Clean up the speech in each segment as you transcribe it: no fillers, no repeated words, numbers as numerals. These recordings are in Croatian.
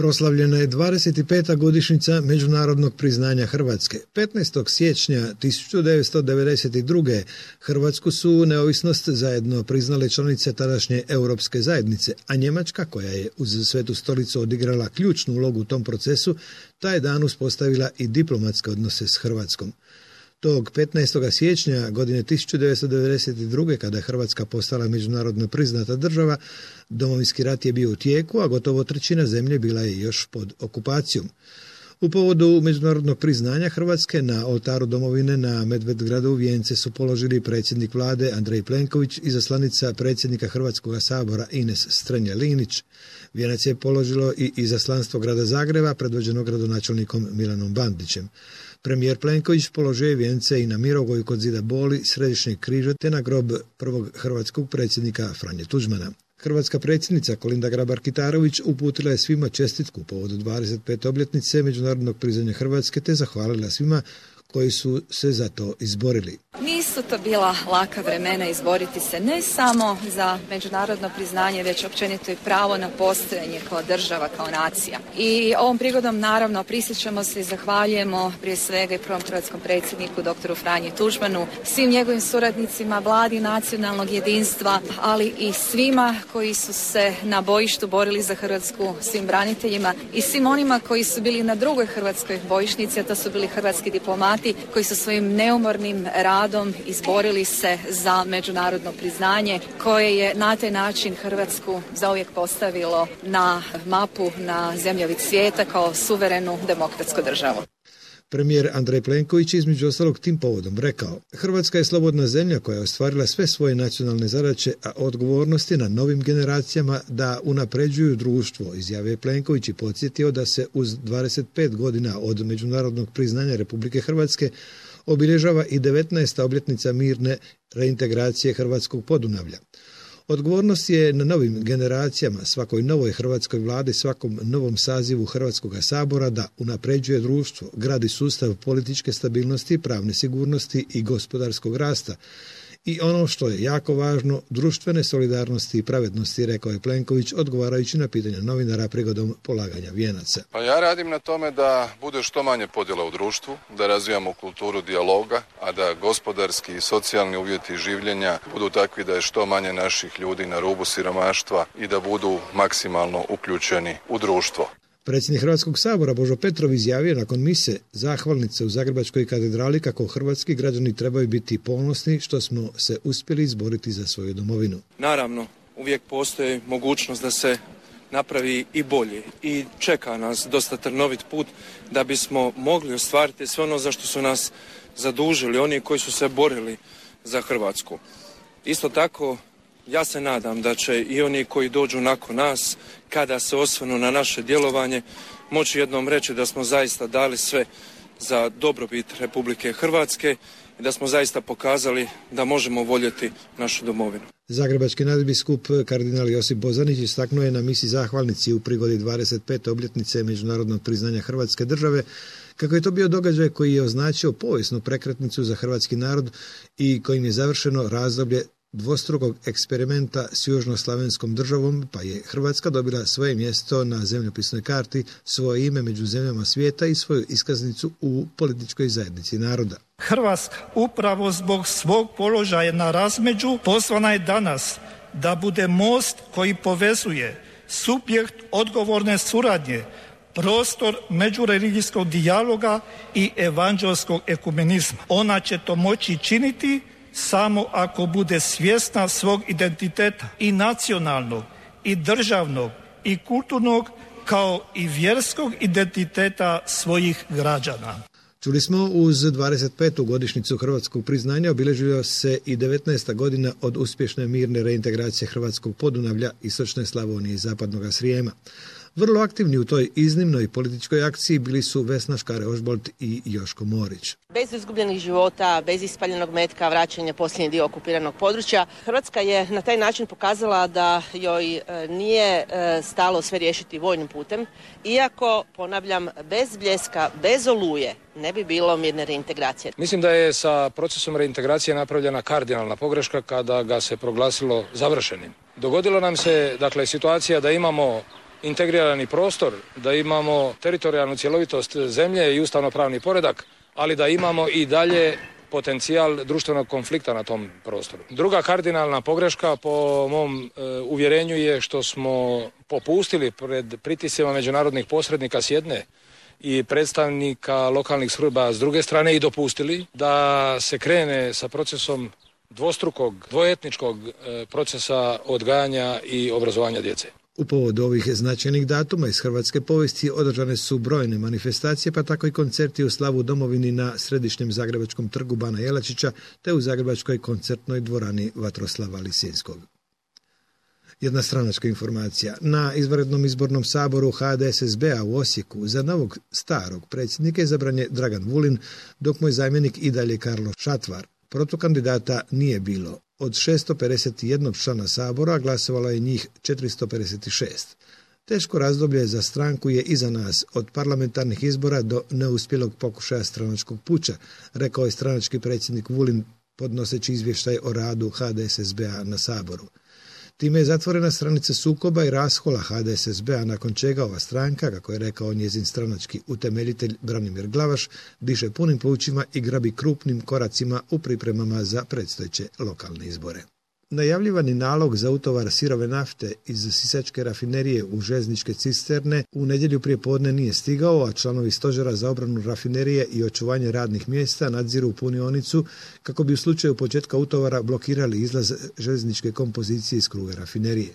Proslavljena je 25. godišnjica međunarodnog priznanja Hrvatske. 15. siječnja 1992. Hrvatsku su neovisnost zajedno priznale članice tadašnje Europske zajednice, a Njemačka, koja je uz Svetu stolicu odigrala ključnu ulogu u tom procesu, taj dan uspostavila i diplomatske odnose s Hrvatskom. Tog 15. siječnja godine 1992. kada je Hrvatska postala međunarodno priznata država, Domovinski rat je bio u tijeku, a gotovo trećina zemlje bila je još pod okupacijom. U povodu međunarodnog priznanja Hrvatske na oltaru domovine na Medvedgradu vijence su položili predsjednik vlade Andrej Plenković i izaslanica predsjednika Hrvatskog sabora Ines Strenja-Linić. Vijenac je položilo i izaslanstvo grada Zagreba predvođeno gradonačelnikom Milanom Bandićem. Premijer Plenković položio je vijence i na Mirogoju kod zida Boli, Središnjeg križa te na grob prvog hrvatskog predsjednika Franje Tuđmana. Hrvatska predsjednica Kolinda Grabar-Kitarović uputila je svima čestitku povodu 25. obljetnice međunarodnog priznanja Hrvatske te zahvalila svima koji su se za to izborili. Nisu to bila laka vremena izboriti se ne samo za međunarodno priznanje, već općenito i pravo na postojanje kao država, kao nacija. I ovom prigodom naravno prisjećamo se i zahvaljujemo prije svega i prvom hrvatskom predsjedniku dr. Franji Tuđmanu, svim njegovim suradnicima, vladi nacionalnog jedinstva, ali i svima koji su se na bojištu borili za Hrvatsku, svim braniteljima i svim onima koji su bili na drugoj hrvatskoj bojišnici, a to su bili hrvatski diplomati koji su svojim neumornim radom izborili se za međunarodno priznanje koje je na taj način Hrvatsku zauvijek postavilo na mapu, na zemljovid svijeta kao suverenu demokratsku državu. Premijer Andrej Plenković između ostalog tim povodom rekao: Hrvatska je slobodna zemlja koja je ostvarila sve svoje nacionalne zadaće, a odgovornost je na novim generacijama da unapređuju društvo, izjavio je Plenković i podsjetio da se uz 25 godina od međunarodnog priznanja Republike Hrvatske obilježava i 19. obljetnica mirne reintegracije Hrvatskog Podunavlja. Odgovornost je na novim generacijama, svakoj novoj hrvatskoj vladi, svakom novom sazivu Hrvatskog sabora da unapređuje društvo, gradi sustav političke stabilnosti, pravne sigurnosti i gospodarskog rasta. I ono što je jako važno, društvene solidarnosti i pravednosti, rekao je Plenković odgovarajući na pitanja novinara prigodom polaganja vijenaca. Pa ja radim na tome da bude što manje podjela u društvu, da razvijamo kulturu dijaloga, a da gospodarski i socijalni uvjeti življenja budu takvi da je što manje naših ljudi na rubu siromaštva i da budu maksimalno uključeni u društvo. Predsjednik Hrvatskog sabora Božo Petrov izjavio nakon mise zahvalnice u Zagrebačkoj katedrali kako hrvatski građani trebaju biti ponosni što smo se uspjeli izboriti za svoju domovinu. Naravno, uvijek postoji mogućnost da se napravi i bolje i čeka nas dosta trnovit put da bismo mogli ostvariti sve ono za što su nas zadužili, oni koji su se borili za Hrvatsku. Isto tako, ja se nadam da će i oni koji dođu nakon nas, kada se osvrnu na naše djelovanje, moći jednom reći da smo zaista dali sve za dobrobit Republike Hrvatske i da smo zaista pokazali da možemo voljeti našu domovinu. Zagrebački nadbiskup kardinal Josip Bozanić istaknuo je na misi zahvalnici u prigodi 25. obljetnice međunarodnog priznanja Hrvatske države kako je to bio događaj koji je označio povijesnu prekretnicu za hrvatski narod i kojim je završeno razdoblje dvostrukog eksperimenta s južnoslavenskom državom, pa je Hrvatska dobila svoje mjesto na zemljopisnoj karti, svoje ime među zemljama svijeta i svoju iskaznicu u političkoj zajednici naroda. Hrvatska upravo zbog svog položaja na razmeđu pozvana je danas da bude most koji povezuje subjekt odgovorne suradnje, prostor međureligijskog dijaloga i evanđelskog ekumenizma. Ona će to moći činiti samo ako bude svjesna svog identiteta i nacionalnog, i državnog, i kulturnog, kao i vjerskog identiteta svojih građana. Čuli smo, uz 25. godišnjicu hrvatskog priznanja obilježila se i 19. godina od uspješne mirne reintegracije Hrvatskog Podunavlja, istočne Slavonije i zapadnog Srijema. Vrlo aktivni u toj iznimnoj političkoj akciji bili su Vesna Škare-Ožbolt i Joško Morić. Bez izgubljenih života, bez ispaljenog metka, vraćanja posljednji dio okupiranog područja, Hrvatska je na taj način pokazala da joj nije stalo sve riješiti vojnim putem, iako, ponavljam, bez bljeska, bez oluje ne bi bilo mirne reintegracije. Mislim da je sa procesom reintegracije napravljena kardinalna pogreška kada ga se proglasilo završenim. Dogodilo nam se, situacija da imamo integrirani prostor, da imamo teritorijalnu cjelovitost zemlje i ustavnopravni poredak, ali da imamo i dalje potencijal društvenog konflikta na tom prostoru. Druga kardinalna pogreška po mom uvjerenju je što smo popustili pred pritiscima međunarodnih posrednika s jedne i predstavnika lokalnih Srba s druge strane i dopustili da se krene sa procesom dvoetničkog procesa odgajanja i obrazovanja djece. U povodu ovih značajnih datuma iz hrvatske povijesti održane su brojne manifestacije, pa tako i koncerti u slavu domovini na središnjem zagrebačkom trgu Bana Jelačića te u zagrebačkoj koncertnoj dvorani Vatroslava Lisinskog. Jedna stranačka informacija. Na izvanrednom izbornom saboru HDSSB-a u Osijeku za novog starog predsjednika izabran je Dragan Vulin, dok mu je zamjenik i dalje Karlo Šatvar. Protokandidata nije bilo. Od 651 člana sabora glasovalo je njih 456. Teško razdoblje za stranku je iza nas, od parlamentarnih izbora do neuspjelog pokušaja stranačkog puča, rekao je stranački predsjednik Vulin podnoseći izvještaj o radu HDSSB-a na saboru. Time je zatvorena stranica sukoba i raskola HDSSB-a, nakon čega ova stranka, kako je rekao njezin stranački utemeljitelj Branimir Glavaš, diše punim plućima i grabi krupnim koracima u pripremama za predstojeće lokalne izbore. Najavljivani nalog za utovar sirove nafte iz sisačke rafinerije u željezničke cisterne u nedjelju prije podne nije stigao, a članovi stožera za obranu rafinerije i očuvanje radnih mjesta nadziru punionicu kako bi u slučaju početka utovara blokirali izlaz željezničke kompozicije iz kruga rafinerije.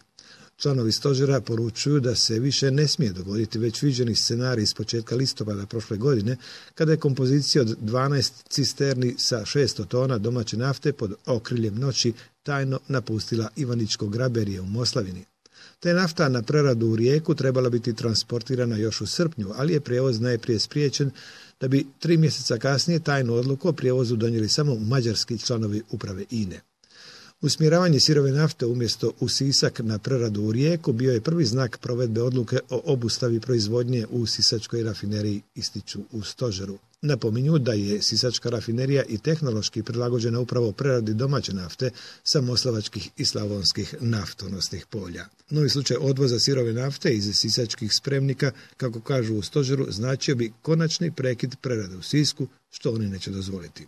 Članovi stožera poručuju da se više ne smije dogoditi već viđeni scenarij iz početka listopada prošle godine, kada je kompozicija od 12 cisterni sa 600 tona domaće nafte pod okriljem noći tajno napustila Ivaničko graberije u Moslavini. Te nafta na preradu u Rijeku trebala biti transportirana još u srpnju, ali je prijevoz najprije spriječen, da bi 3 mjeseca kasnije tajnu odluku o prijevozu donijeli samo mađarski članovi uprave INE. Usmjeravanje sirove nafte umjesto u Sisak na preradu u Rijeku bio je prvi znak provedbe odluke o obustavi proizvodnje u sisačkoj rafineriji, ističu u stožeru. Napominju da je sisačka rafinerija i tehnološki prilagođena upravo preradi domaće nafte sa moslavačkih i slavonskih naftonosnih polja. Novi slučaj odvoza sirove nafte iz sisačkih spremnika, kako kažu u stožeru, značio bi konačni prekid prerade u Sisku, što oni neće dozvoliti.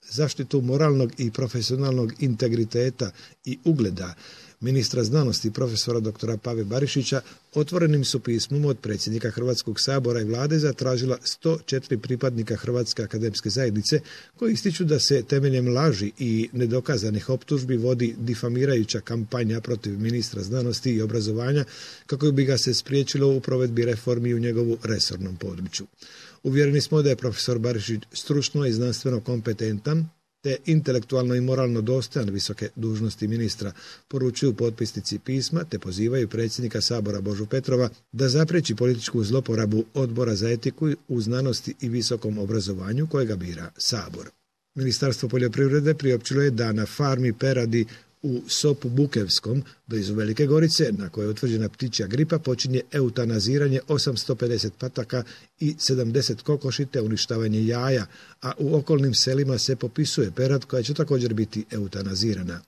Zaštitu moralnog i profesionalnog integriteta i ugleda ministra znanosti profesora dr. Pave Barišića otvorenim su pismom od predsjednika Hrvatskog sabora i vlade zatražila 104 pripadnika Hrvatske akademske zajednice koji ističu da se temeljem laži i nedokazanih optužbi vodi difamirajuća kampanja protiv ministra znanosti i obrazovanja kako bi ga se spriječilo u provedbi reformi u njegovu resornom području. Uvjereni smo da je profesor Barišić stručno i znanstveno kompetentan te intelektualno i moralno dostojan visoke dužnosti ministra, poručuju potpisnici pisma te pozivaju predsjednika Sabora Božu Petrova da zapriječi političku zloporabu Odbora za etiku u znanosti i visokom obrazovanju kojega bira Sabor. Ministarstvo poljoprivrede priopćilo je da na farmi peradi u Sopu Bukevskom, blizu Velike Gorice, na kojoj je utvrđena ptičja gripa, počinje eutanaziranje 850 pataka i 70 kokoši te uništavanje jaja, a u okolnim selima se popisuje perad koja će također biti eutanazirana.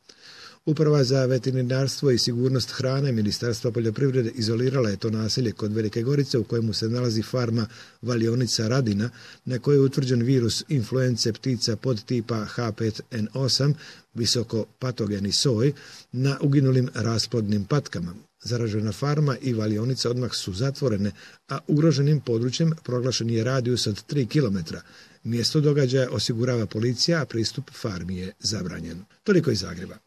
Uprava za veterinarstvo i sigurnost hrane Ministarstva poljoprivrede izolirala je to naselje kod Velike Gorice u kojemu se nalazi farma valionica Radina na kojoj je utvrđen virus influence ptica podtipa H5N8, visoko patogeni soj, na uginulim rasplodnim patkama. Zaražena farma i valionica odmah su zatvorene, a ugroženim područjem proglašen je radijus od 3 km. Mjesto događaja osigurava policija, a pristup farmi je zabranjen. Toliko iz Zagreba.